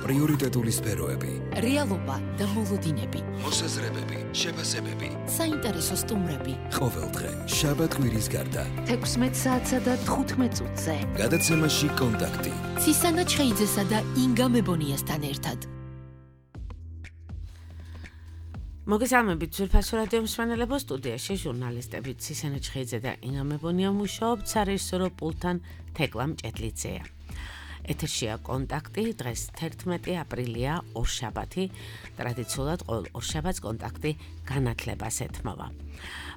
პრიორიტეტული სფეროები, რეალობა და მოლოდინები, მოსაზრებები, შეფასებები, საინტერესო სტუმრები. ყოველდღე შაბათ-კვირის გარდა 16 საათსა და 15 წუთზე. გადაცემაში კონტაქტი. ცისანა ჩხეიძესა და ინგა მებონიასთან ერთად. მოგესალმებით ძვირფასო რადიო მსმენელებო, სტუდიაში ჟურნალისტები ცისანა ჩხეიძე და ინგა მებონია მუშაობთ, სარეჟისორო პულტთან თეკლა მჭედლიძეა. ეთერშია კონტაქტი, დღეს 11 აპრილია, ორშაბათი, ტრადიციულად ყოველ ორშაბათს კონტაქტი განათლებას ეთმობა.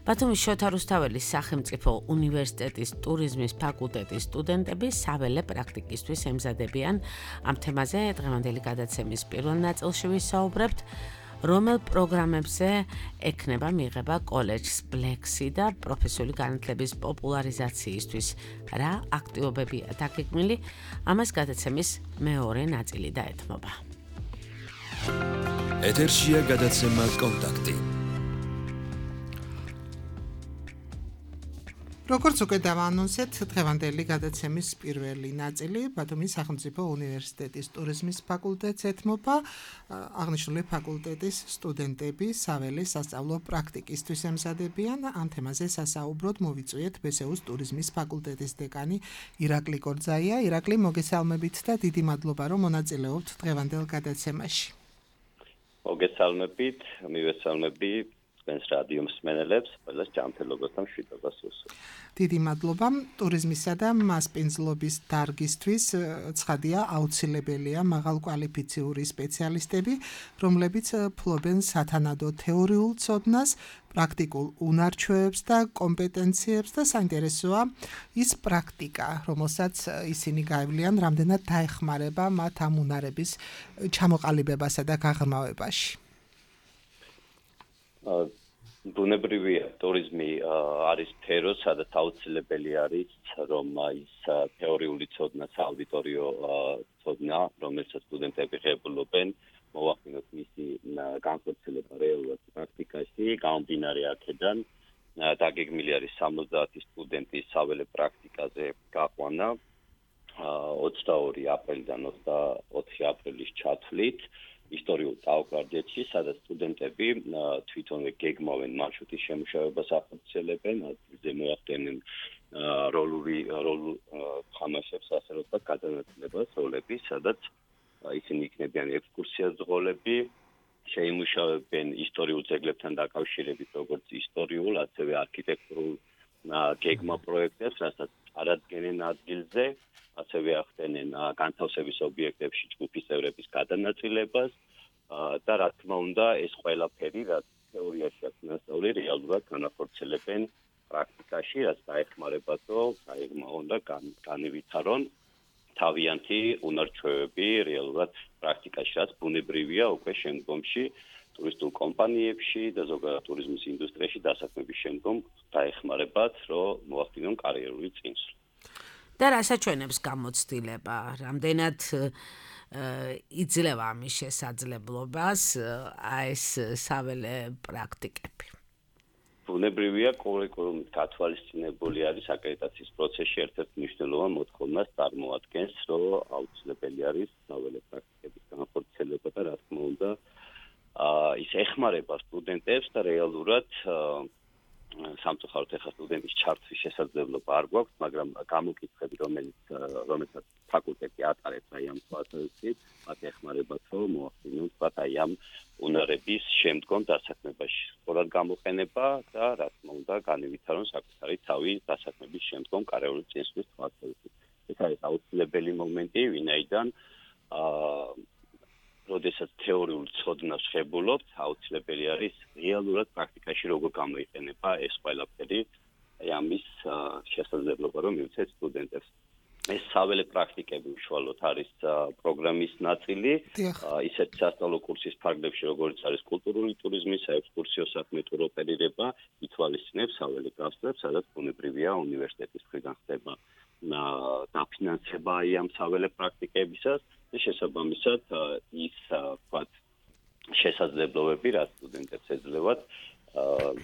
ბათუმის შოთა რუსთაველის სახელმწიფო უნივერსიტეტის ტურიზმის ფაკულტეტის სტუდენტები საველე პრაქტიკისთვის ემზადებიან. ამ თემაზე დღევანდელი გადაცემის პირველ ნაწილში ვისაუბრებთ, რომელ პროგრამებზე ექნება მიღება კოლეჯს ბლექსი და პროფესიული განათლების პოპულარიზაციისთვის რა აქტივობებია დაგეგმილი, ამას გადაცემის მეორე ნაწილი დაეთმობა. ეთერშია გადაცემა კონტაქტი. როგორც უკვე დავაანონსეთ, დღევანდელი გადაცემის პირველი ნაწილი ბათუმის სახელმწიფო უნივერსიტეტის ტურიზმის ფაკულტეტს ეთმობა. აღნიშნული ფაკულტეტის სტუდენტები საველე სასწავლო პრაქტიკისთვის ემზადებიან. ამ თემაზე სასაუბროდ მოვიწვიეთ ბსუ-ს ტურიზმის ფაკულტეტის დეკანი ირაკლი კორძაია. ირაკლი, მოგესალმებით და დიდი მადლობა, რომ მონაწილეობთ დღევანდელ გადაცემაში. მოგესალმებით, მივესალმები ჩვენს რადიო მსმენელებს, ყველას ჯანმრთელობასთან მშვიდობას ვუსურვ. დიდი მადლობა. ტურიზმისა და მასპინძლობის დარგისთვის ცხადია აუცილებელია მაღალკვალიფიციური სპეციალისტები, რომლებიც ფლობენ სათანადო თეორიულ ცოდნას, პრაქტიკულ უნარჩვევებს და კომპეტენციებს და საინტერესოა ის პრაქტიკა, რომელსაც ისინი გაევლიან, რამდენად დაეხმარება მათ ამ უნარების ჩამოყალიბებასა და გაღრმავებაში. ბუნებრივია, ტურიზმი არის სფერო, სადაც აუცილებელი არის, რომ ის თეორიული ცოდნა, სააუდიტორიო ცოდნა, რომელსაც სტუდენტები ღებულობენ, მოვახდინოთ მისი განხორციელება რეალურად პრაქტიკაში. გამომდინარე აქედან, დაგეგმილი არის 70 სტუდენტის საველე პრაქტიკაზე გაყვანა 22 აპრილიდან 24 აპრილის ჩათვლით. ისტორიულ ტაო-კლარჯეთში, სადაც სტუდენტები თვითონვე გეგმავენ მარშრუტის შემუშავებას ახორციელებენ, ადგილზე მოახდენენ როლულ თამაშებს, ასე რომ გადანაწილებას როლები, სადაც ისინი იქნებიან ექსკურსიაზღოლები, შეიმუშავებენ ისტორიულ ძეგლებთან დაკავშირებით, როგორც ისტორიულ, ასევე არქიტექტურულ გეგმა პროექტებს, რასაც არადგენენ ადგილზე. ასევე ახდენენ განთავსების ობიექტებში ჯგუფის წევრების გადანაწილებას და რა თქმა უნდა ეს ყველაფერი, რაც თეორიაში აქვს ნასწავლი, რეალურად განახორციელებენ პრაქტიკაში, რაც დაეხმარებათო, უნდა განივითარონ თავიანთი უნარჩვევები რეალურად პრაქტიკაში, რაც ბუნებრივია უკვე შემდგომში ტურისტულ კომპანიებში და ზოგადად ტურიზმის ინდუსტრიაში დასაქმების შემდგომ დაეხმარებათ, რომ მოახდინონ კარიერული წინსვლა. და რასაჩვენებს გამოცდილება, რამდენად იძლევა ამის შესაძლებლობას ეს საველე პრაქტიკები. ბუნებრივია, კურიკულუმით გათვალისწინებული არის აკრედიტაციის პროცესში ერთ-ერთ მნიშვნელოვან მოთხოვნას წარმოადგენს, რომ აუცილებელი არის საველე პრაქტიკების განხორციელება და რა თქმა უნდა ის ეხმარება სტუდენტებს და რეალურად სამწუხაროდ ახლა სტუდენტის ჩართვის შესაძლებლობა არ გვაქვს, მაგრამ გამოკითხები, რომელსაც ფაკულტეტი ატარებს აი ამ თვალსაზრისით, მათ ეხმარებათ, რომ მოახდინონ აი ამ უნარების შემდგომ დასაქმებაში სწორად გამოყენება და რა თქმა უნდა განივითარონ საკუთარი თავი დასაქმების შემდგომ კარიერული წინსვლის თვალსაზრისით. ეს არის აუცილებელი მომენტი, ვინაიდან როდესაც თეორიულ ცოდნას ღებულობთ, აუცილებელი არის რეალურად პრაქტიკაში როგორ გამოიყენება ეს ყველაფერი, ამის შესაძლებლობა, რომ მივცეთ სტუდენტებს. ეს საველე პრაქტიკები უშუალოდ არის პროგრამის ნაწილი, ისეთ სასწავლო კურსის ფარგლებში, როგორც არის კულტურული ტურიზმი, საექსკურსიო საქმე, ტუროპერირება, ითვალისწინებს საველე გასწრებს, სადაც ბუნებრივია უნივერსიტეტის მხრიდან ხდება დაფინანსება ამ საველე პრაქტიკებისას და შესაბამისად ის შესაძლებლობები, რაც სტუდენტებს ეძლევათ,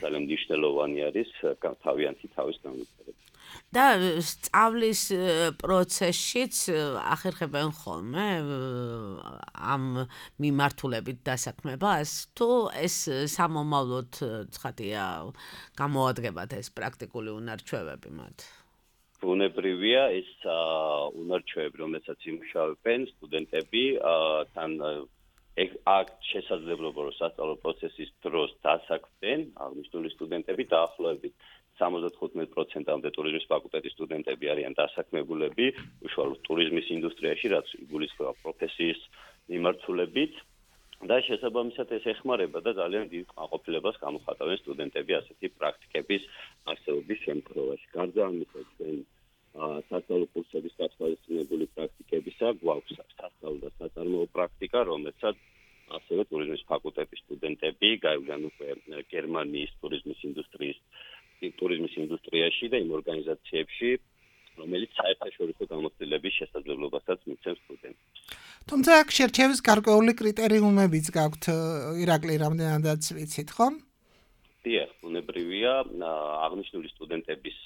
ძალიან მნიშვნელოვანი არის თავიანთი თავის განვითარება. და სწავლის პროცესშიც ახერხებენ ხოლმე ამ მიმართულებით დასაქმებას თუ ეს სამომავლოდ ცხადია გამოადგებათ ეს პრაქტიკული უნარჩვევები მათ ბუნებრივია ეს უნარჩვევები რომელსაც იმუშავებენ სტუდენტები თან აქ შესაძლებლობა რომ სასწავლო პროცესის დროს დასაქმდნენ აღნიშნული სტუდენტები დაახლოებით 75%-მდე ტურიზმის ფაკულტეტის სტუდენტები არიან დასაქმებულები უშუალოდ ტურიზმის ინდუსტრიაში რაც იგულისხმება პროფესიის მიმართულებით და შესაბამისად ეს ეხმარება და ძალიან დიდ კმაყოფილებას გამოხატავენ სტუდენტები ასეთი პრაქტიკების არსებობის შემთხვევაში. გარდა ამისა, ჩვენ სასწავლო კურსების გათვალისწინებული პრაქტიკებისა გვაქვს სასწავლო და საწარმოო პრაქტიკა, რომელსაც ასევე ტურიზმის ფაკულტეტის სტუდენტები გაივლიან უკვე გერმანიის ტურიზმის ინდუსტრიაში და იმ ორგანიზაციებში, რომელიც საერთაშორისო გამოცდილების შესაძლებლობასაც მიცემს სტუდენტებს. თუმცა აქ შერჩევის გარკვეული კრიტერიუმებიც გაქვთ, ირაკლი, რამდენადაც ვიცით, ხო? დიახ, ბუნებრივია, აღნიშნული სტუდენტების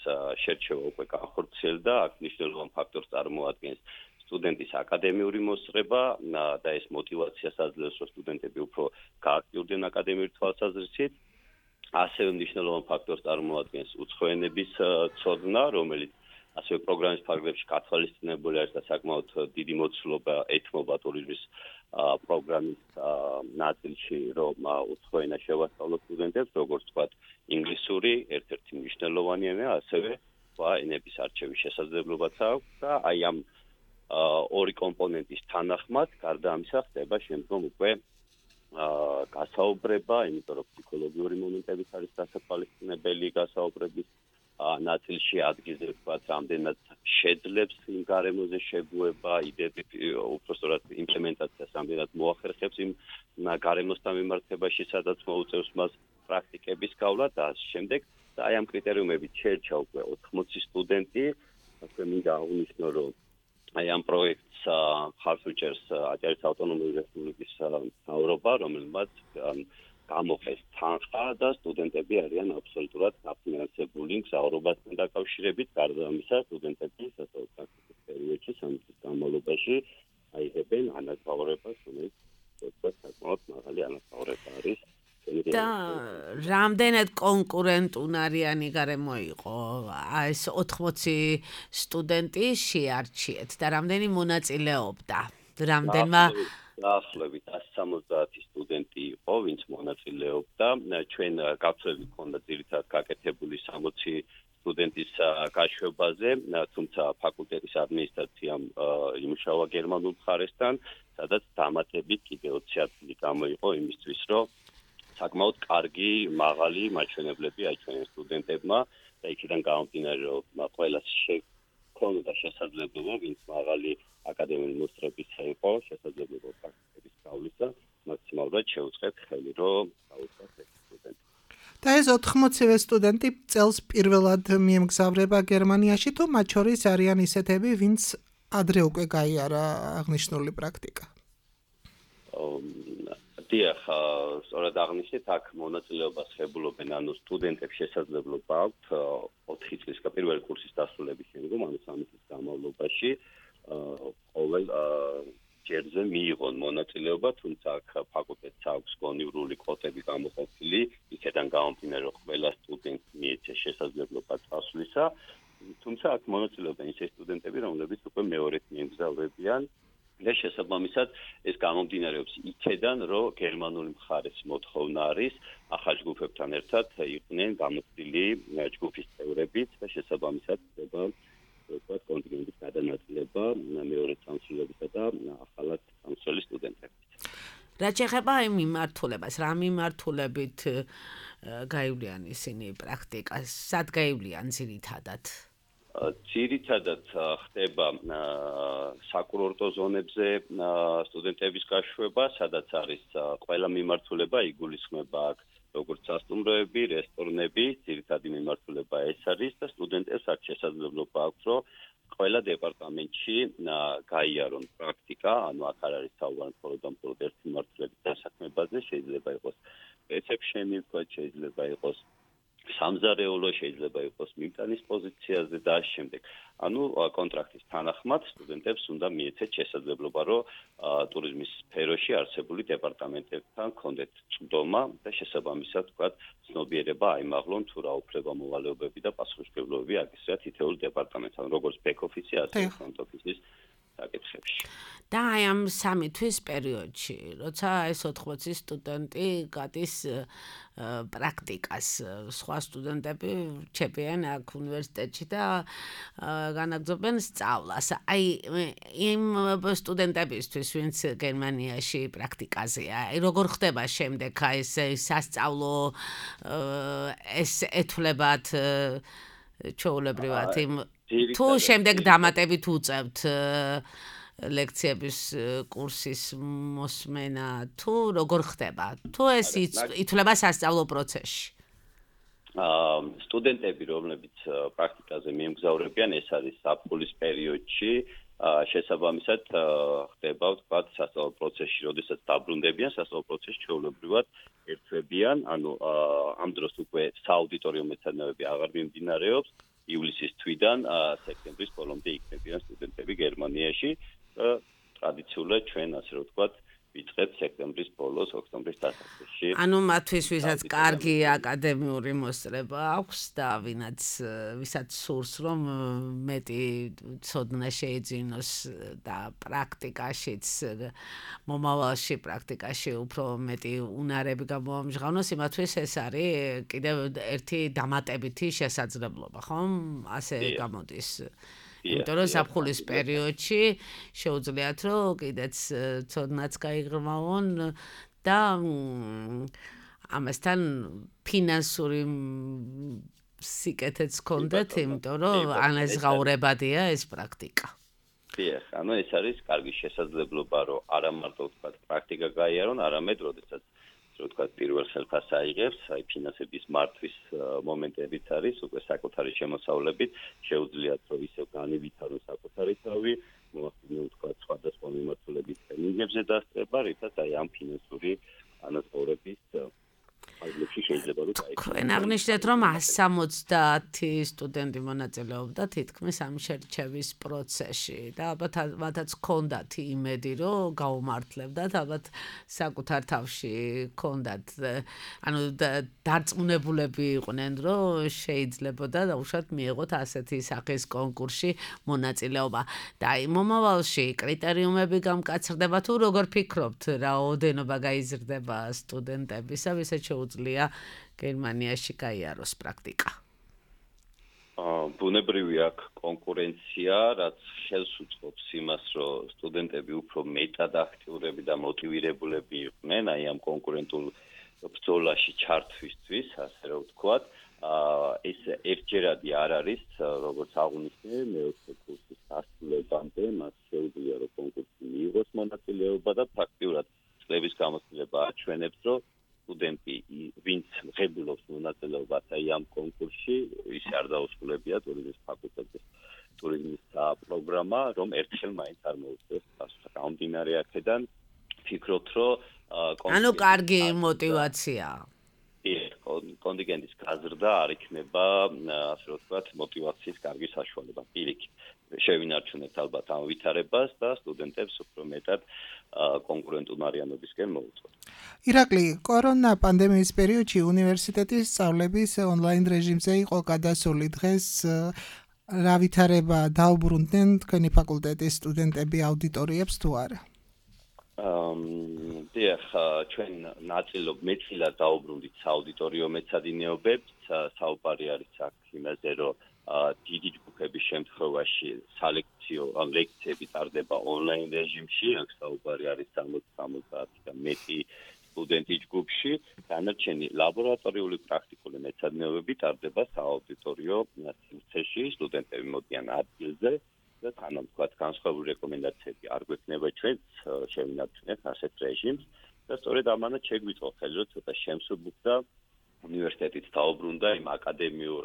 შერჩევა უკვე განხორციელდა, აქ მნიშვნელოვან ფაქტორს წარმოადგენს სტუდენტის აკადემიური მოსწრება და ეს მოტივაციას აძლევს, რომ სტუდენტები უფრო გააქტიურდნენ აკადემიური თვალსაზრისით. ასევე მნიშვნელოვან ფაქტორს წარმოადგენს უცხოენების ცოდნა, რომელიც ასევე პროგრამის ფარგლებში გათვალისწინებული არის და საკმაოდ დიდი მოცულობა ეთმობა ტურიზმის პროგრამის ნაწილში, რომ უცხოენა შევასწავლოთ სტუდენტებს, როგორც ვთქვათ, ინგლისური ერთ-ერთი მნიშვნელოვანი ენა, ასევე ენების არჩევის შესაძლებლობაც აქვს და აი ამ ორი კომპონენტის თანახმად, გარდა ამისა ხდება შემდგომ უკვე გასაუბრება, იმიტომ რომ ფსიქოლოგიური მომენტებიც არის დასათვალისწინებელი გასაუბრების ნაწილში ადგილზე ვთქვათ, რამდენად შეძლებს იმ გარემოზე შეგუება, იდეები უпростоრად იმპლემენტაციას რამდენად მოახერხებს იმ გარემოსთან მიმართებაში, სადაც მოუწევს მას პრაქტიკების გავლა და ამ შემდეგ და აი ამ კრიტერიუმებით შეერჩა უკვე 80 სტუდენტი, ასე მინდა აღნიშნო, რომ აი ამ პროექტს ხარს უჭერს აჭარის ავტონომიური რესპუბლიკის მთავრობა, რომელმაც გამოყეს თანხა და სტუდენტები არიან აბსოლუტურად დაფინანსებული მგზავრობასთან დაკავშირებით, გარდა ამისა სტუდენტები სასწავლო პრაქტიკის პერიოდში 3 წლის განმავლობაში აიღებენ ანაზღაურებას, რომელიც საკმაოდ მაღალი ანაზღაურება არის. და რამდენად კონკურენტუნარიანი გარემო იყო ეს 80 სტუდენტი შეარჩიეთ და რამდენი მონაწილეობდა? რამდენმა დაახლოებით 170 სტუდენტი იყო, ვინც მონაწილეობდა. ჩვენ გაცვლები ჰქონდა ძირითადად გაკეთებული 60 სტუდენტის გაშვებაზე, თუმცა ფაკულტეტის ადმინისტრაციამ იმუშავა გერმანულ მხარესთან, სადაც დამატებით კიდე 20 ადგილი გამოიყო იმისთვის, რომ საკმაოდ კარგი, მაღალი მაჩვენებლები აიჩვენეს სტუდენტებმა და იქიდან გამომდინარე, რომ ყველას ჰქონდა შესაძლებლობა, ვინც მაღალი აკადემიური მოსწრებისა იყო, შესაძლებლობა პრაქტიკების გავლისა, მაქსიმალურად შეუწყეთ ხელი, რომ გაუწევთ ეს სტუდენტი. და ეს 80 სტუდენტი წელს პირველად მიემგზავრება გერმანიაში, თუ მათ შორის არიან ისეთები, ვინც ადრე უკვე გაიარა აღნიშნული პრაქტიკა? დიახ, სწორად აღნიშნეთ, აქ მონაწილეობას ხებულობენ, ანუ სტუდენტებს შესაძლებლობა აქვთ 4 წლის პირველი კურსის დასრულების შემდგომ, ანუ 3 წლის განმავლობაში ყოველ ჯერზე მიიღონ მონაწილეობა, თუმცა აქ ფაკულტეტს აქვს კონივრული კვოტები გამოყოფილი, იქიდან გამომდინარე, რომ ყველა სტუდენტს მიეცეს შესაძლებლობა წასვლისა, თუმცა აქ მონაწილეობენ ისე სტუდენტები, რომლებიც უკვე მეორედ მიემგზავრებიან და შესაბამისად ეს გამომდინარეობს იქიდან, რომ გერმანული მხარის მოთხოვნა არის ახალ ჯგუფებთან ერთად იყვნენ გამოცდილი ჯგუფის წევრებიც და შესაბამისად ხდება კონტინენტის გადანაწილება მეორე წამსვლებისა და ახალად წამსველი სტუდენტებით. რა შეეხება იმ მიმართულებას, რა მიმართულებით გაივლიან ისინი პრაქტიკას, სად გაივლიან ძირითადად? ძირითადად ხდება საკურორტო ზონებზე სტუდენტების გაშვება, სადაც არის ყველა მიმართულება იგულისხმება აქ როგორც სასტუმროები, რესტორნები, ძირითადი მიმართულება ეს არის და სტუდენტებს აქ შესაძლებლობა აქვს, რომ ყველა დეპარტამენტში გაიარონ პრაქტიკა, ანუ აქ არ არის საუბარი მხოლოდ ერთ მიმართულებით დასაქმებაზე, შეიძლება იყოს რეცეფშენი, შეიძლება იყოს სამზარეულო შეიძლება იყოს მიმტანის პოზიციაზე და ამ შემდეგ. ანუ კონტრაქტის თანახმად სტუდენტებს უნდა მიეცეთ შესაძლებლობა, რომ ტურიზმის სფეროში არსებული დეპარტამენტებთან კონდეთ წვდომა და შესაბამისად თქვა ცნობიერება აიმაღლონ თუ რა უფლება-მოვალეობები და პასუხისმგებლობები აკისრიათ თითოეულ დეპარტამენტთან, როგორც ბექ-ოფისი, ასევე ფრონტ-ოფისის საკითხებში. და აი ამ 3 თვის პერიოდში, როცა ეს 80 სტუდენტი გადის პრაქტიკას, სხვა სტუდენტები რჩებიან აქ უნივერსიტეტში და განაგრძობენ სწავლას. აი იმ სტუდენტებისთვის, ვინც გერმანიაში პრაქტიკაზეა, აი როგორ ხდება შემდეგ აი ეს სასწავლო ეს ეთვლებათ ჩვეულებრივად იმ თუ შემდეგ დამატებით უწევთ ლექციების კურსის მოსმენა თუ როგორ ხდება თუ ეს ითვლება სასწავლო პროცესში სტუდენტები რომლებიც პრაქტიკაზე მიემგზავრებიან ეს არის საფულის პერიოდში შესაბამისად ხდება ვთქვათ სასწავლო პროცესში როდესაც დაბრუნდებიან სასწავლო პროცესში ჩვეულებრივად ერთვებიან ანუ ამ დროს უკვე სააუდიტორიო მეცადინეობები აღარ მიმდინარეობს ივლისის თვიდან სექტემბრის ბოლომდე იქნებიან სტუდენტები გერმანიაში ტრადიციულად ჩვენ ასე რომ ვთქვათ ვიწყებთ სექტემბრის ბოლოს ოქტომბრის დასაწყისში ანუ მათთვის ვისაც კარგი აკადემიური მოსწრება აქვს და ვისაც სურს რომ მეტი ცოდნა შეეძინოს და პრაქტიკაშიც მომავალში პრაქტიკაში უფრო მეტი უნარები გამოამჟღავნოს იმათთვის ეს არის კიდევ ერთი დამატებითი შესაძლებლობა ხომ ასე გამოდის იმიტომ რომ საფხულის პერიოდში შეუძლიათ რომ კიდეც ცოდნაც გაიღრმავონ და ამასთან ფინანსური სიკეთეც გქონდეთ იმიტომ რომ ანაზღაურებადია ეს პრაქტიკა დიახ ანუ ეს არის კარგი შესაძლებლობა რომ არა მარტო ვთქვათ პრაქტიკა გაიარონ არამედ როდესაც რო თქვა პირველ ხელფას აიღებს, აი ფინანსების მართვის მომენტებიც არის, უკვე საკუთარი შემოსავლებით შეუძლიათ რომ ისევ განივითარონ საკუთარი თავი, მოახდინონ თქვა სხვადასხვა მიმართულების ტრენინგებზე დასწრება, რითაც აი ამ ფინანსური ანაზღაურების ფაზებში შეიძლება რომ თქვენ აღნიშნეთ რომ 170 სტუდენტი მონაწილეობდა თითქმის ამ შერჩევის პროცესში და ალბათ მათაც ჰქონდათ იმედი რომ გაუმართლებდათ ალბათ საკუთარ თავში ჰქონდათ ანუ დარწმუნებულები იყვნენ რომ შეიძლებოდა დაუშვათ მიეღოთ ასეთი სახის კონკურსში მონაწილეობა და აი მომავალში კრიტერიუმები გამკაცრდება თუ როგორ ფიქრობთ რაოდენობა გაიზრდება სტუდენტებისა ვისაც შეუძლია გერმანიაში გაიაროს პრაქტიკა. ბუნებრივი აქვს კონკურენცია, რაც ხელს უწყობს იმას, რომ სტუდენტები უფრო მეტად აქტიურები და მოტივირებულები იყვნენ, აი ამ კონკურენტულ ბრძოლაში ჩართვისთვის, ასე რომ ვთქვათ, ეს ერთჯერადი არ არის, როგორც აღნიშნე, მეოთხე კურსის დასრულებამდე მას შეუძლია რომ კონკურსში მიიღოს მონაწილეობა და ფაქტიურად წლების გამოცდილება აჩვენებს, რომ სტუდენტი ვინც ღებულობს მონაწილეობას აი ამ კონკურსში ის არ დაუსრულებია ტურიზმის ფაკულტეტის ტურიზმის პროგრამა რომ ერთხელ მაინც არ მოუწევს პასუხი გამომდინარე აქედან ფიქრობთ რომ ანუ კარგი მოტივაციაა კონტინგენტის გაზრდა არ იქნება ასე რომ ვთქვათ მოტივაციის კარგი საშუალება პირიქით შევინარჩუნებთ ალბათ ამ ვითარებას და სტუდენტებს უფრო მეტად კონკურენტუნარიანობისკენ მოუწევთ. ირაკლი, კორონა პანდემიის პერიოდში უნივერსიტეტის სწავლების ონლაინ რეჟიმზე იყო გადასული დღეს რა ვითარება დაუბრუნდნენ თქვენი ფაკულტეტის სტუდენტები აუდიტორიებს თუ არა? დიახ, ჩვენ მეტილად დაუბრუნდით სააუდიტორიო მეცადინეობებს, საუბარი არის აქ იმაზე, რომ დიდი ჯგუფების შემთხვევაში სალექციო ლექციები ტარდება ონლაინ რეჟიმში, აქ საუბარი არის 60-70 და მეტი სტუდენტი ჯგუფში, დანარჩენი ლაბორატორიული პრაქტიკული მეცადინეობები ტარდება სააუდიტორიო სივრცეში, სტუდენტები მოდიან ადგილზე და თანამ თქვათ განსხვავებული რეკომენდაციები არ გვექნება ჩვენ შევინარჩუნებთ ასეთ რეჟიმს და სწორედ ამანაც შეგვიწყო ხელი რომ ცოტა შემსუბუქდა უნივერსიტეტით დაუბრუნდა იმ აკადემიურ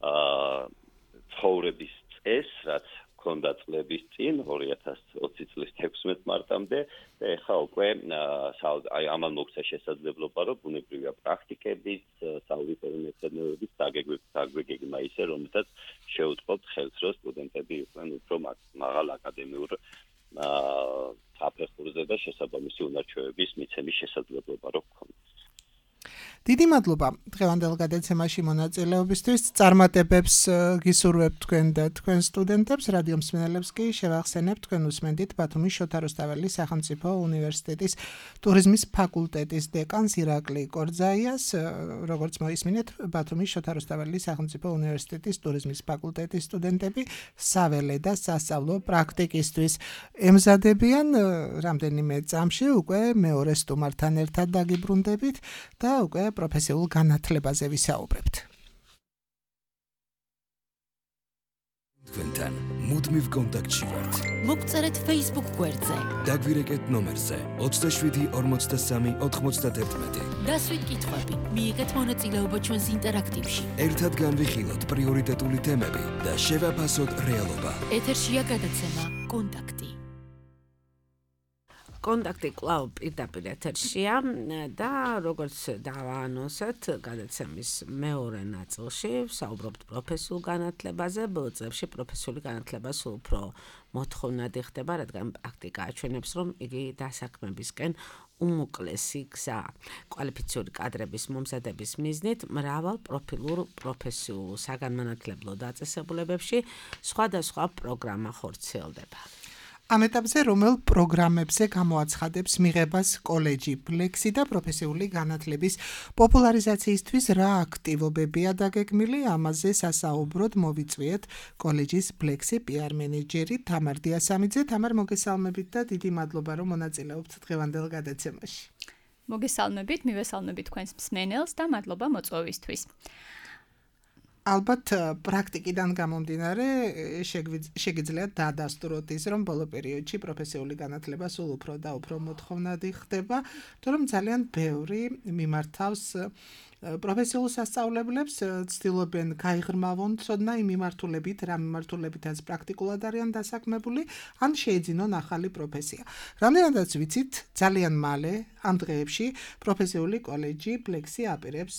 ცხოვრების წესს, რაც ჰქონდა წლების წინ 2020 წლის 16 მარტამდე და ეხლა უკვე ამან მოგვცა შესაძლებლობა რომ ბუნებრივია პრაქტიკებით, საავტორო მეცნიერების დაგვეგებმა ისე რომელსაც შეუწყობთ ხელს რომ სტუდენტები იყვნენ უფრო მაღალ აკადემიურ საფეხურზე და შესაბამისი უნარჩვევების მიცემის შესაძლებლობა რო გქონდეს. დიდი მადლობა დღევანდელ გადაცემაში მონაწილეობისთვის. წარმატებებს გისურვებთ თქვენ და თქვენ სტუდენტებს, რადიო მსმენელებს კი შევახსენებთ თქვენ უსმენთ ბათუმის შოთა რუსთაველის სახელმწიფო უნივერსიტეტის ტურიზმის ფაკულტეტის დეკანს ირაკლი კორძაიას, როგორც მოისმინეთ, ბათუმის შოთა რუსთაველის სახელმწიფო უნივერსიტეტის ტურიზმის ფაკულტეტის სტუდენტები საველე და სასწავლო პრაქტიკისთვის ემზადებიან. რამდენიმე წამში უკვე მეორე სტუმართან ერთად დაგიბრუნდებით და უკვე პროფესიულ განათლებაზე ვისაუბრებთ. თქვენთან მუდმივ კონტაქტში ვართ. მოგწერეთ Facebook გვერდზე. დაგვირეკეთ ნომერზე 27 43 91. დასვით კითხვები, მიიღეთ მონაწილეობა ჩვენს ინტერაქტივში. ერთად განვიხილოთ პრიორიტეტული თემები და შევაფასოთ რეალობა. ეთერშია გადაცემა კონტაქტი. კონტაქტი კვლავ პირდაპირ ეთერშია და როგორც დავაანონსეთ გადაცემის მეორე ნაწილში ვსაუბრობთ პროფესიულ განათლებაზე. ბოლო წლებში პროფესიული განათლება სულ უფრო მოთხოვნადი ხდება, რადგან პრაქტიკა აჩვენებს, რომ იგი დასაქმებისკენ უმოკლესი გზაა. კვალიფიციური კადრების მომზადების მიზნით მრავალ პროფილურ პროფესიულ საგანმანათლებლო დაწესებულებებში სხვადასხვა პროგრამა ხორციელდება. ამ ეტაპზე რომელ პროგრამებზე გამოაცხადებს მიღებას კოლეჯი ბლექსი და პროფესიული განათლების პოპულარიზაციისთვის რა აქტივობებია დაგეგმილი, ამაზე სასაუბროდ მოვიწვიეთ კოლეჯის ბლექსი PR მენეჯერი თამარ დიასამიძე. თამარ, მოგესალმებით და დიდი მადლობა რომ მონაწილეობთ დღევანდელ გადაცემაში. მოგესალმებით, მივესალმებით თქვენს მსმენელს და მადლობა მოწვევისთვის. ალბათ პრაქტიკიდან გამომდინარე შეგიძლიათ დაადასტუროთ ის, რომ ბოლო პერიოდში პროფესიული განათლება სულ უფრო და უფრო მოთხოვნადი ხდება, თორემ ძალიან ბევრი მიმართავს პროფესიულ სასწავლებლებს, ცდილობენ გაიღრმავონ ცოდნა იმ მიმართულებით, რა მიმართულებითაც პრაქტიკულად არიან დასაქმებული, ან შეეძინონ ახალი პროფესია. რამდენადაც ვიცით, ძალიან მალე ამ დღეებში პროფესიული კოლეჯი ბლექსი აპირებს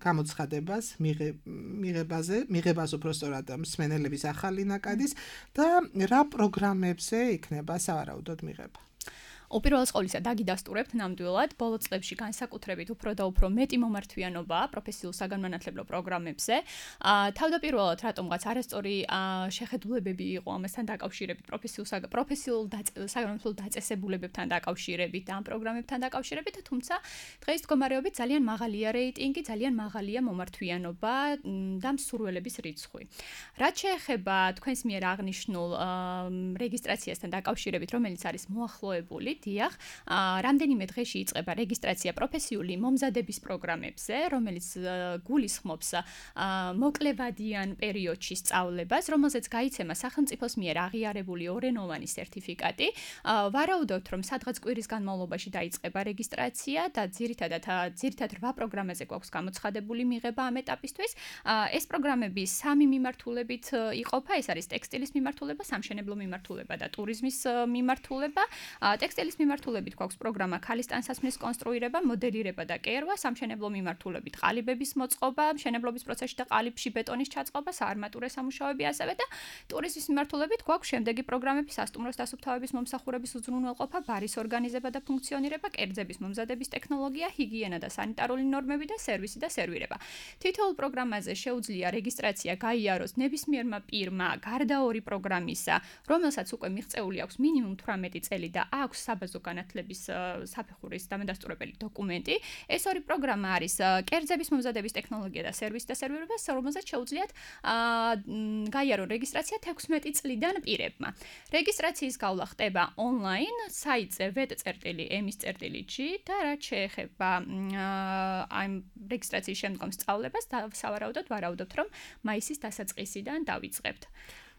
გამოცხადებას მიღებას უпростоრად მსმენელების ახალი ნაკადის და რა პროგრამებზე იქნება სავარაუდოდ მიღება. უპირველეს ყოვლისა დაგიდასტურებთ ნამდვილად ბოლო წლებში განსაკუთრებით უფრო და უფრო მეტი მომართვიანობა პროფესიულ საგანმანათლებლო პროგრამებზე. თავდაპირველად რატომღაც არასწორი შეხედულებები იყო ამასთან დაკავშირებით პროფესიულ საგანმანათლებლო დაწესებულებებთან დაკავშირებით და ამ პროგრამებთან დაკავშირებით, თუმცა დღეს მდგომარეობით ძალიან მაღალია რეიტინგი, ძალიან მაღალია მომართვიანობა და მსურველების რიცხვი. რაც შეეხება თქვენს მიერ აღნიშნულ რეგისტრაციასთან დაკავშირებით, რომელიც არის მოახლოებული, დიახ, რამდენიმე დღეში იწყება რეგისტრაცია პროფესიული მომზადების პროგრამებზე, რომელიც გულისხმობს მოკლევადიან პერიოდში სწავლებას, რომელზეც გაიცემა სახელმწიფოს მიერ აღიარებული ორენოვანი სერტიფიკატი. ვარაუდობთ, რომ სადღაც კვირის განმავლობაში დაიწყება რეგისტრაცია და ძირითადად 8 პროგრამაზე გვაქვს გამოცხადებული მიღება ამ ეტაპისთვის. ეს პროგრამები 3 მიმართულებით იყოფა, ეს არის ტექსტილის მიმართულება, სამშენებლო მიმართულება და ტურიზმის მიმართულება. ტექსტილის მიმართულებით გვაქვს პროგრამა ქალის ტანსაცმლის კონსტრუირება, მოდელირება და კერვა, სამშენებლო მიმართულებით ყალიბების მოწყობა, მშენებლობის პროცესში და ყალიბში ბეტონის ჩაწყობა, საარმატურე სამუშაოები ასევე და ტურიზმის მიმართულებით გვაქვს შემდეგი პროგრამები: სასტუმროს დასუფთავების მომსახურების უზრუნველყოფა, ბარის ორგანიზება და ფუნქციონირება, კერძების მომზადების ტექნოლოგია, ჰიგიენა და სანიტარული ნორმები და სერვისი და სერვირება. თითოეულ პროგრამაზე შეუძლია რეგისტრაცია გაიაროს ნებისმიერმა პირმა გარდა ორი პროგრამისა, რომელსაც უკვე მიღწეული აქვს მინიმუმ 18 წელი და აქვს საბაზო განათლების საფეხურის დამადასტურებელი დოკუმენტი. ეს ორი პროგრამა არის კერძების მომზადების ტექნოლოგია და სერვისი და სერვირება, რომელზეც შეუძლიათ გაიარონ რეგისტრაცია 16 წლიდან პირებმა. რეგისტრაციის გავლა ხდება ონლაინ საიტზე vet.emis.g და რაც შეეხება ამ რეგისტრაციის შემდგომ სწავლებას, სავარაუდოდ ვარაუდობთ, რომ მაისის დასაწყისიდან დავიწყებთ.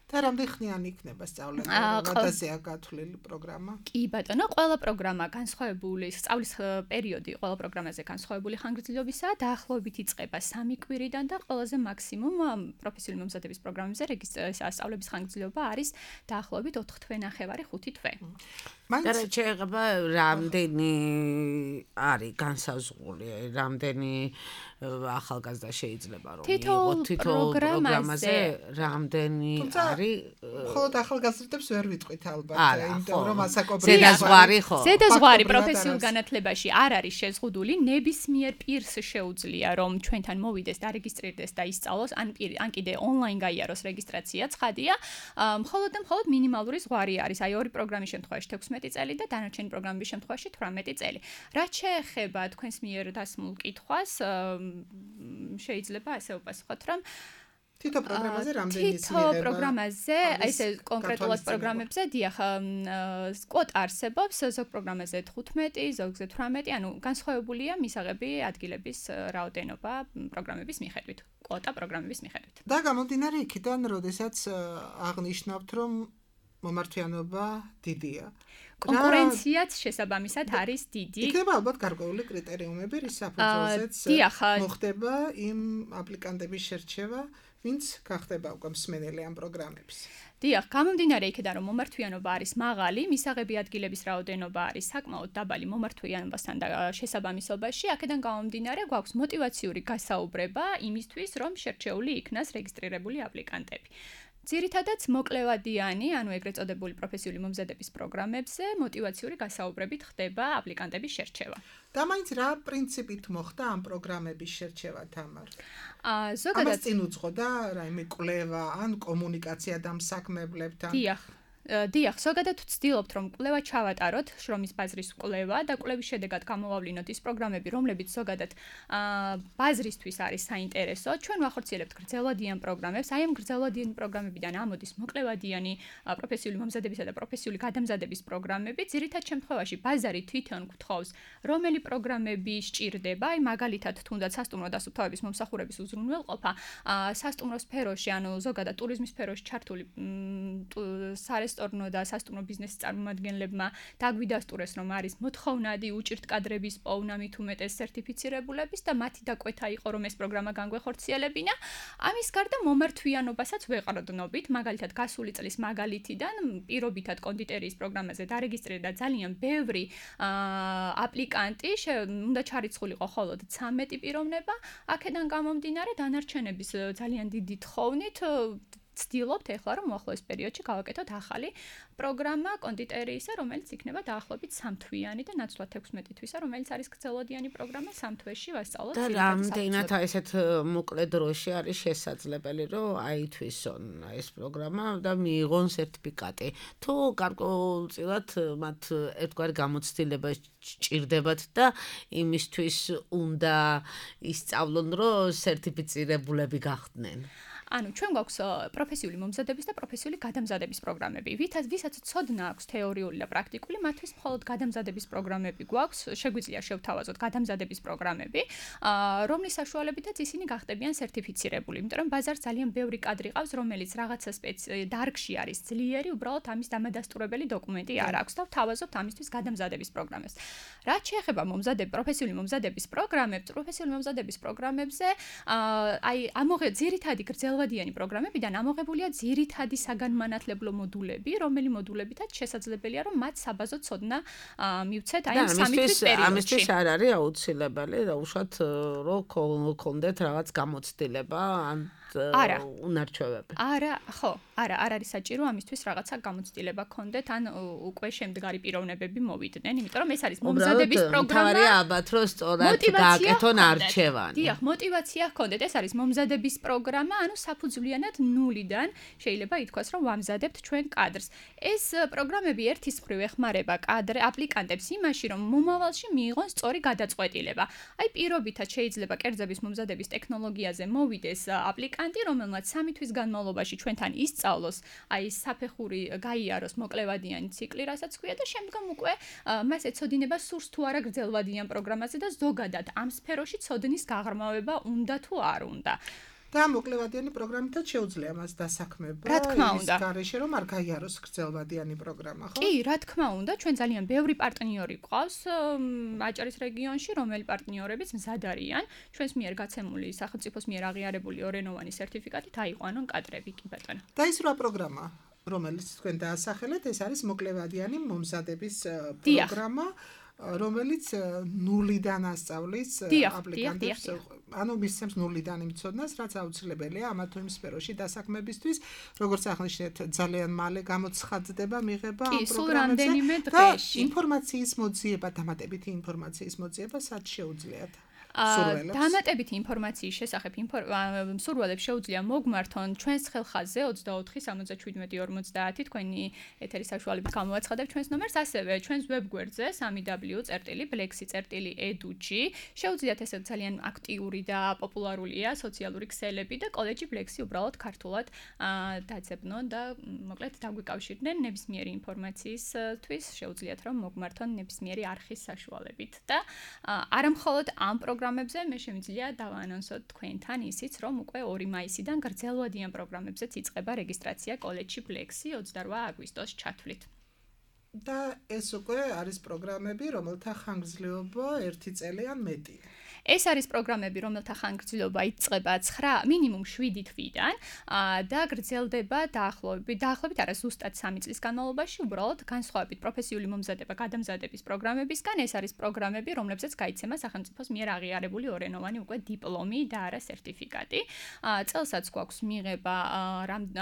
და რამდენი ხნიანი იქნება სწავლება, როდესაც გათვლილი პროგრამა? კი ბატონო, ყველა პროგრამა განსხვავებული, სწავლის პერიოდი ყველა პროგრამაზე განსხვავებული ხანგრძლივობისაა, დაახლოებით იწყება 3 კვირიდან და ყველაზე მაქსიმუმ პროფესიული მომზადების პროგრამებზე სწავლების ხანგრძლივობა არის დაახლოებით 4 თვე-ნახევარი 5 თვე. და შეიძლება რამდენი არის განსაზღვრული, რამდენი ახალგაზრდა შეიძლება რომ თითოეულ პროგრამაზე რამდენი არის მხოლოდ ახალგაზრდებს ვერ ვიტყვით ალბათ, იმიტომ რომ ასაკობრივი ზედაზღვარი ხო? ზედაზღვარი პროფესიულ განათლებაში არ არის შეზღუდული, ნებისმიერ პირს შეუძლია რომ ჩვენთან მოვიდეს, დარეგისტრირდეს და ისწავლოს, ან კიდე ონლაინ გაიაროს რეგისტრაცია, ცხადია. მხოლოდ მინიმალური ზღვარი არის, აი ორი პროგრამის შემთხვევაში 16 წელი და დანარჩენი პროგრამების შემთხვევაში 18 წელი. რაც შეეხება თქვენს მიერ დასმულ კითხვას, შეიძლება ასე ვპასუხოთ, რომ თითო პროგრამაზე რამდენი თითო პროგრამაზე, ესე კონკრეტულად პროგრამებზე, დიახ, კვოტა არსებობს, ზოგ პროგრამაზე 15, ზოგზე 18, ანუ განსხვავებულია მისაღები ადგილების რაოდენობა პროგრამების მიხედვით, კვოტა პროგრამების მიხედვით. და გამომდინარე იქიდან, როდესაც აღნიშნავთ, რომ მომართვიანობა დიდია. კონკურენციაც შესაბამისად არის დიდი. იქნება ალბათ გარკვეული კრიტერიუმები, რის საფუძველზეც მოხდება იმ აპლიკანტების შერჩევა, ვინც გახდება უკვე მსმენელი ამ პროგრამების. დიახ, გამომდინარე იქიდან, რომ მომართვიანობა არის მაღალი, მისაღები ადგილების რაოდენობა არის საკმაოდ დაბალი მომართვიანობასთან და შესაბამისობაში, აქედან გამომდინარე, გვაქვს мотиваციური გასაუბრება იმისთვის, რომ შერჩეული იქნას რეგისტრირებული აპლიკანტები. ძირითადად მოკლევადიანი, ანუ ეგრეთ წოდებული პროფესიული მომზადების პროგრამებზე мотиваციური გასაუბრებით ხდება აპლიკანტების შერჩევა. და მაინც რა პრინციპით მოხდა ამ პროგრამების შერჩევა, თამარ? ზოგადად წინ უძღოდა რაიმე კვლევა ან კომუნიკაცია დამსაქმებლებთან? დიახ, ზოგადად ვცდილობთ, რომ კვლევა ჩავატაროთ, შრომის ბაზრის კვლევა და კვლევის შედეგად გამოვავლინოთ ის პროგრამები, რომლებიც ზოგადად ბაზრისთვის არის საინტერესო. ჩვენ ვახორციელებთ გრძელვადიან პროგრამებს, აი ამ გრძელვადიან პროგრამებიდან ამოდის მოკლევადიანი პროფესიული მომზადებისა და პროფესიული გადამზადების პროგრამები. ძირითად შემთხვევაში ბაზარი თვითონ გთხოვს, რომელი პროგრამები სჭირდება, აი მაგალითად, თუნდაც სასტუმრო დასუფთავების მომსახურების უზრუნველყოფა, სასტუმრო სფეროში, ანუ ზოგადად ტურიზმის სფეროში ჩართული სარესტორნო და სასტუმრო ბიზნესის წარმომადგენლებმა დაგვიდასტურეს, რომ არის მოთხოვნადი უჭირთ კადრების პოვნა მით უმეტეს სერტიფიცირებულების და მათი დაკვეთა იყო, რომ ეს პროგრამა განგვეხორციელებინა. ამის გარდა მომართვიანობასაც ვეყრდნობით, მაგალითად გასული წლის მაგალითიდან პირობითად კონდიტერიის პროგრამაზე დარეგისტრირდა ძალიან ბევრი აპლიკანტი, უნდა ჩარიცხულიყო მხოლოდ 13 პიროვნება, აქედან გამომდინარე დანარჩენების ძალიან დიდი თხოვნით ვცდილობთ ეხლა რომ უახლოეს პერიოდში გავაკეთოთ ახალი პროგრამა კონდიტერიისა, რომელიც იქნება დაახლოებით 3 თვიანი და ნაცვლად 16 თვისა, რომელიც არის გრძელვადიანი პროგრამა 3 თვეში ვასწავლოთ. და რამდენად ესეთ მოკლე დროში არის შესაძლებელი, რომ აითვისონ ეს პროგრამა და მიიღონ სერტიფიკატი. თუ გარკვეულწილად მათ ერთგვარი გამოცდილება სჭირდებათ და იმისთვის უნდა ისწავლონ, რომ სერტიფიცირებულები გახდნენ. ანუ ჩვენ გვაქვს პროფესიული მომზადების და პროფესიული გადამზადების პროგრამები. ვისაც ცოდნა აქვს თეორიული და პრაქტიკული, მათთვის მხოლოდ გადამზადების პროგრამები გვაქვს. შეგვიძლია შევთავაზოთ გადამზადების პროგრამები, რომლის საშუალებითაც ისინი გახდებიან სერტიფიცირებული. იმიტომ რომ ბაზარს ძალიან ბევრი კადრი ყავს, რომელიც რაღაცა დარგში არის ძლიერი, უბრალოდ ამის დამადასტურებელი დოკუმენტი არ აქვს და ვთავაზობთ ამისთვის გადამზადების პროგრამებს. რაც შეეხება პროფესიული მომზადების პროგრამებზე, აი ძირითადი გრძელვადიანი პროგრამებიდან ამოღებულია ძირითადი საგანმანათლებლო მოდულები, რომელი მოდულებითაც შესაძლებელია, რომ მათ საბაზო ცოდნა მივცეთ აი ამ 3 თვის პერიოდში. ამისთვის არ არის აუცილებელი, უშუალოდ რომ გქონდეთ რაღაც გამოცდილება ან უნარჩვევები. არა არის საჭირო ამისთვის რაღაცა გამოცდილება გქონდეთ, ან უკვე შემდგარი პიროვნებები მოვიდნენ, იმიტომ რომ ეს არის მომზადების პროგრამა. თავარია ალბათ რომ სწორად გააკეთონ არჩევანი. დიახ, мотиваცია გქონდეთ, ეს არის მომზადების პროგრამა, ანუ საფუძვლიანად ნულიდან შეიძლება ითქვას, რომ ვამზადებთ ჩვენ კადრს. ეს პროგრამები ერთის მხრივ ეხმარება აპლიკანტებს იმაში, რომ მომავალში მიიღონ სწორი გადაწყვეტილება. აი პირობითად შეიძლება კერძების მომზადების ტექნოლოგიაზე მოვიდეს აპლიკანტი, რომელმაც 3 თვის განმავლობაში ჩვენთან ისწავლოს, აი საფეხური გაიაროს მოკლევადიანი ციკლი, რასაც ქვია და შემდგომ უკვე მას ეცოდინება სურს თუ არა გრძელვადიან პროგრამაზე და ზოგადად ამ სფეროში ცოდნის გაღრმავება უნდა თუ არ უნდა. და მოკლევადიანი პროგრამითაც შეუძლია მას დასაქმება. რა თქმა უნდა. ის გარეშე რომ არ გაიაროს გრძელვადიანი პროგრამა, ხო? კი, რა თქმა უნდა, ჩვენ ძალიან ბევრი პარტნიორი გვყავს აჭარის რეგიონში, რომელი პარტნიორებიც მზად არიან ჩვენს მიერ გაცემული სახელმწიფოს მიერ აღიარებული ორენოვანი სერტიფიკატით აიყვანონ კადრები, კი ბატონო. და ის რა პროგრამა, რომელიც თქვენ დაასახელეთ, ეს არის მოკლევადიანი მომზადების პროგრამა, რომელიც ნულიდან ასწავლის აპლიკანტებს, ანუ მისცემს ნულიდან იმ ცოდნას, რაც აუცილებელია ამა თუ იმ სფეროში დასაქმებისთვის, როგორც აღნიშნეთ, ძალიან მალე გამოცხადდება მიღება ამ პროგრამებზე და ინფორმაციის მოძიება, დამატებითი ინფორმაციის მოძიება სად შეუძლიათ? დამატებითი ინფორმაციის შესახებ მსურველებს შეუძლია მოგმართონ ჩვენს ხელხაზზე 24 77 50 თქვენი ეთერის საშუალებით გამოვაცხადებ ჩვენს ნომერს, ასევე ჩვენს ვებგვერდზე www.blexi.edu-ში შეუძლიათ ესე ძალიან აქტიური და პოპულარულია სოციალური ქსელები და კოლეჯი Blexi უბრალოდ ქართულად დაძებნონ და მოკლედ დაგვიკავშირდნენ ნებისმიერი ინფორმაციისთვის, შეუძლიათ რომ მოგმართონ ნებისმიერი არხის საშუალებით და არამხოლოდ ამ პროგრამებზე მე შემიძლია დავაანონსოთ თქვენთან ისიც, რომ უკვე 2 მაისიდან გრძელვადიან პროგრამებზეც იწყება რეგისტრაცია კოლეჯში Blexi 28 აგვისტოს ჩათვლით. და ეს უკვე არის პროგრამები, რომელთა ხანგრძლივობა 1 წელი ან მეტი. ეს არის პროგრამები, რომელთა ხანგრძლივობა იწყება 9 მინიმუმ 7 თვიდან და გრძელდება დაახლოებით არა ზუსტად 3 წლის განმავლობაში, უბრალოდ განსხვავებით პროფესიული მომზადება გადამზადების პროგრამებისგან, ეს არის პროგრამები, რომლებზეც გაიცემა სახელმწიფოს მიერ აღიარებული ორენოვანი უკვე დიპლომი და არა სერტიფიკატი. წელსაც გვაქვს მიღება,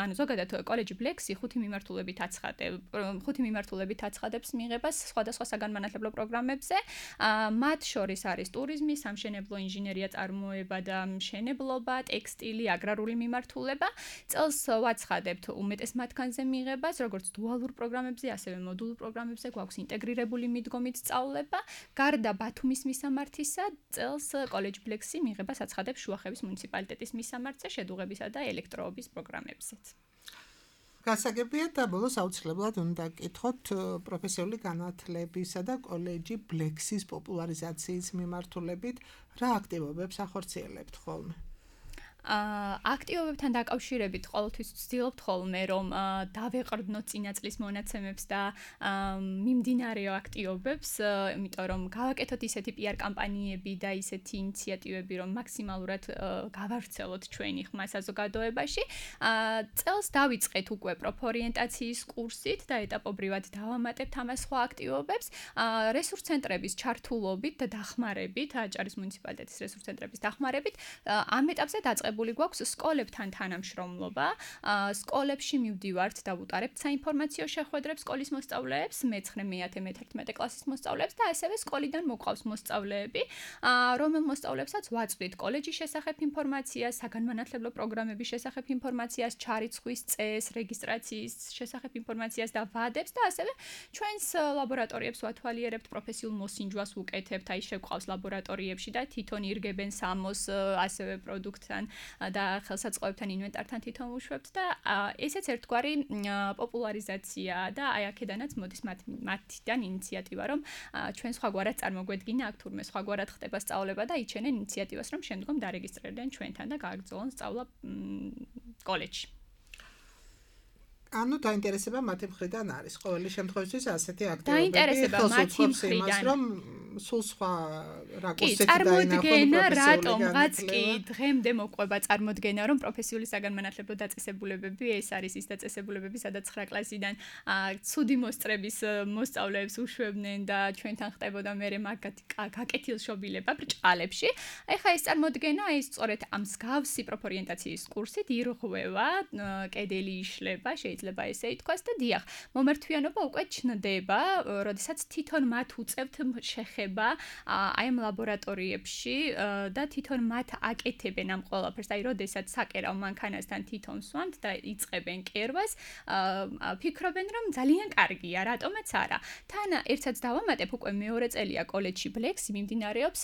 ანუ ზოგადად კოლეჯი Blexi 5 მიმართულებით აცხადებს მიღებას სხვადასხვა საგანმანათლებლო პროგრამებზე. მათ შორის არის ტურიზმი, სამშენებლო ინჟინერია, წარმოება და მშენებლობა, ტექსტილი, აგრარული მიმართულება. წელს ვაცხადებთ უმეტეს მათგანზე მიღებას, როგორც დუალურ პროგრამებზე, ასევე მოდულურ პროგრამებზე გვაქვს ინტეგრირებული მიდგომით სწავლება. გარდა ბათუმის მისამართისა, წელს კოლეჯ Blexi მიღებას აცხადებს შუახევის მუნიციპალიტეტის მისამართზე, შედუღებისა და ელექტროობის პროგრამებზეც. გასაგებია და ბოლოს აუცილებლად უნდა გკითხოთ პროფესიული განათლებისა და კოლეჯი Blexi-ის პოპულარიზაციის მიმართულებით რა აქტივობებს ახორციელებთ ხოლმე? აქტივობებთან დაკავშირებით ყოველთვის ვცდილობთ ხოლმე რომ დავეყრდნოთ წინა წლის მონაცემებს და მიმდინარეო აქტივობებს, იმიტომ რომ გავაკეთოთ ისეთი PR კამპანიები და ისეთი ინიციატივები, რომ მაქსიმალურად გავავრცელოთ ჩვენი ხმა საზოგადოებაში. წელს დავიწყეთ უკვე პროფორიენტაციის კურსით და ეტაპობრივად დავამატებთ ამას სხვა აქტივობებს. რესურს ცენტრების ჩართულობით და დახმარებით, აჭარის მუნიციპალიტეტის რესურს ცენტრების დახმარებით, ამ ეტაპზე დაწყებული გვაქვს სკოლებთან თანამშრომლობა. სკოლებში მივდივართ და ვუტარებთ საინფორმაციო შეხვედრებს სკოლის მოსწავლეებს, მე-9, მე-10, მე-11 კლასის მოსწავლეებს და ასევე სკოლიდან მოყავს მოსწავლეები, რომელ მოსწავლეებსაც ვაწვდით კოლეჯის შესახებ ინფორმაციას, საგანმანათლებლო პროგრამების შესახებ ინფორმაციას, ჩარიცხვის წესს, რეგისტრაციის შესახებ ინფორმაციას და ვადებს და ასევე ჩვენს ლაბორატორიებს ვათვალიერებთ, პროფესიულ მოსინჯვას ვუკეთებთ, აი შევყავს ლაბორატორიებში და თვითონ ირგებენ სამოს ასევე პროდუქტთან და ხელსაწყოებთან ინვენტართან თვითონ ვუშვებთ და ესეც ერთგვარი პოპულარიზაცია და აი აქედანაც მოდის მათიდან ინიციატივა, რომ ჩვენ სხვაგვარად წარმოგვედგინა აქ თურმე სხვაგვარად ხდება სწავლება და იჩენენ ინიციატივას, რომ შემდგომ დარეგისტრირდნენ ჩვენთან და გააგრძელონ სწავლა კოლეჯში. ანუ დაინტერესება მათი მხრიდან არის. ყოველი შემთხვევაში ასეთი აქტივობები დაინტერესება მათი მხრიდან, რომ სულ სხვა რაკურსით წარმოდგენა, რატომღაც კი დღემდე მოყვება წარმოდგენა, რომ პროფესიული საგანმანათლებლო დაწესებულებები ეს არის ის დაწესებულებები, სადაც 9 კლასიდან ცუდი მოსწრების მოსწავლეებს უშვებდნენ და ჩვენთან ხდებოდა მერე მაგათი გაკეთილშობილება ბრჭყალებში. ეხლა ეს წარმოდგენა ის სწორედ ამ მსგავსი პროფორიენტაციის კურსით ირღვევა, კედელი იშლება, შეიძლება ესე ითქვას და დიახ, მომართვიანობა უკვე ჩნდება, როდესაც თვითონ მათ უწევთ შეხება აი ამ ლაბორატორიებში და თვითონ მათ აკეთებენ ამ ყველაფერს, აი როდესაც საკერავ მანქანასთან თვითონ სვამთ და იწყებენ კერვას, ფიქრობენ რომ ძალიან კარგია, რატომაც არა. თან ერთსაც დავამატებ, უკვე მეორე წელია კოლეჯში Blexi მიმდინარეობს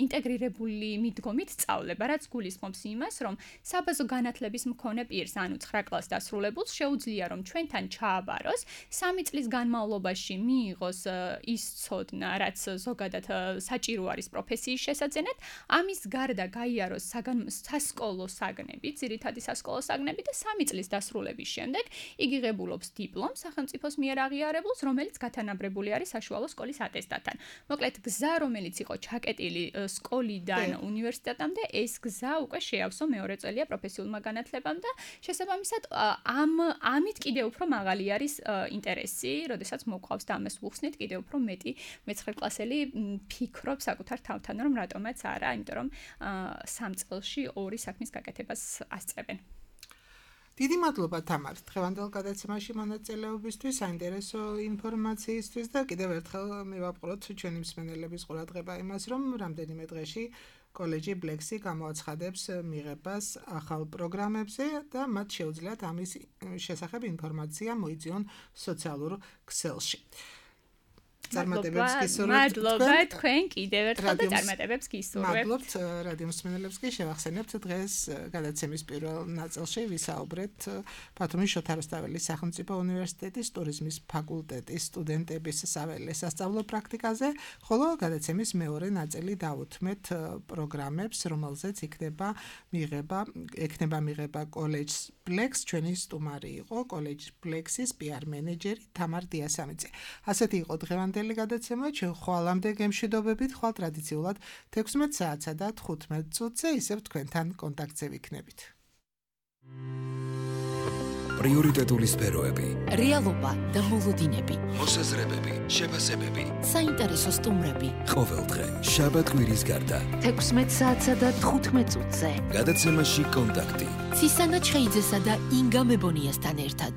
ინტეგრირებული მიდგომით სწავლება, რაც გულისხმობს იმას, რომ საბაზო განათლების მქონე პირს, ანუ 9 კლასს დასრულებულს შეუძლია რომ ჩვენთან ჩააბაროს, 3 წლის განმავლობაში მიიღოს ის ცოდნა, რაც ზოგადად საჭირო არის პროფესიის შესაძენად, ამის გარდა გაიაროს სასკოლო საგნები, ძირითადი სასკოლო საგნები და 3 წლის დასრულების შემდეგ იგი ღებულობს დიპლომს სახელმწიფოს მიერ აღიარებულს, რომელიც გათანაბრებული არის საშუალო სკოლის ატესტატთან. მოკლედ, გზა, რომელიც იყო ჩაკეტილი სკოლიდან უნივერსიტეტამდე, ეს გზა უკვე შეავსო მეორე წელია პროფესიულმა განათლებამ და შესაბამისად ამით კიდევ უფრო მაღალი არის ინტერესი, როდესაც მოყვავს და ამას ვუხსნით კიდევ უფრო მეტი მე-9 კლასელი ფიქრობს საკუთარ თავთან, რომ რატომაც არა, იმიტომ რომ 3 წელში 2 საქმის გაკეთებას ასწრებენ. დიდი მადლობა თამარ, დღევანდელ გადაცემაში მონაწილეობისთვის, საინტერესო ინფორმაციისთვის და კიდევ ერთხელ მივაპყროთ ჩვენი მსმენელების ყურადღება იმას, რომ რამდენიმე დღეში კოლეჯი Blexi გამოაცხადებს მიღებას ახალ პროგრამებზე და მათ შეუძლიათ ამის შესახებ ინფორმაცია მოიძიონ სოციალურ ქსელში. წარმატებებს გისურვებთ. მადლობა თქვენ კიდევ ერთხელ და წარმატებებს გისურვებთ. მადლობთ რადიო მსმენელებს კი შევახსენებთ დღეს გადაცემის პირველ ნაწილში ვისაუბრეთ ბათუმის შოთა რუსთაველის სახელმწიფო უნივერსიტეტის ტურიზმის ფაკულტეტის სტუდენტების საველე სასწავლო პრაქტიკაზე, ხოლო გადაცემის მეორე ნაწილი დავუთმეთ პროგრამებს, რომელზეც იქნება მიღება კოლეჯს Blex, ჩვენი სტუმარი იყო კოლეჯ Blexis PR მენეჯერი თამარ დიასამიძე. ასეთი იყო დღევანდელი გადაცემა, ჩვენ ხვალამდე გემშვიდობებით, ხვალ ტრადიციულად 16 საათსა და 15 წუთზე ისევ თქვენთან კონტაქტზე ვიქნებით. პრიორიტეტული სფეროები, რეალობა და მოლოდინები, მოსაზრებები, შეფასებები, საინტერესო სტუმრები. ყოველდღე, შაბათ-კვირის გარდა. 16 საათსა და 15 წუთზე. გადაცემაში კონტაქტი. ცისანა ჩხეიძესა და ინგა მებონიასთან ერთად.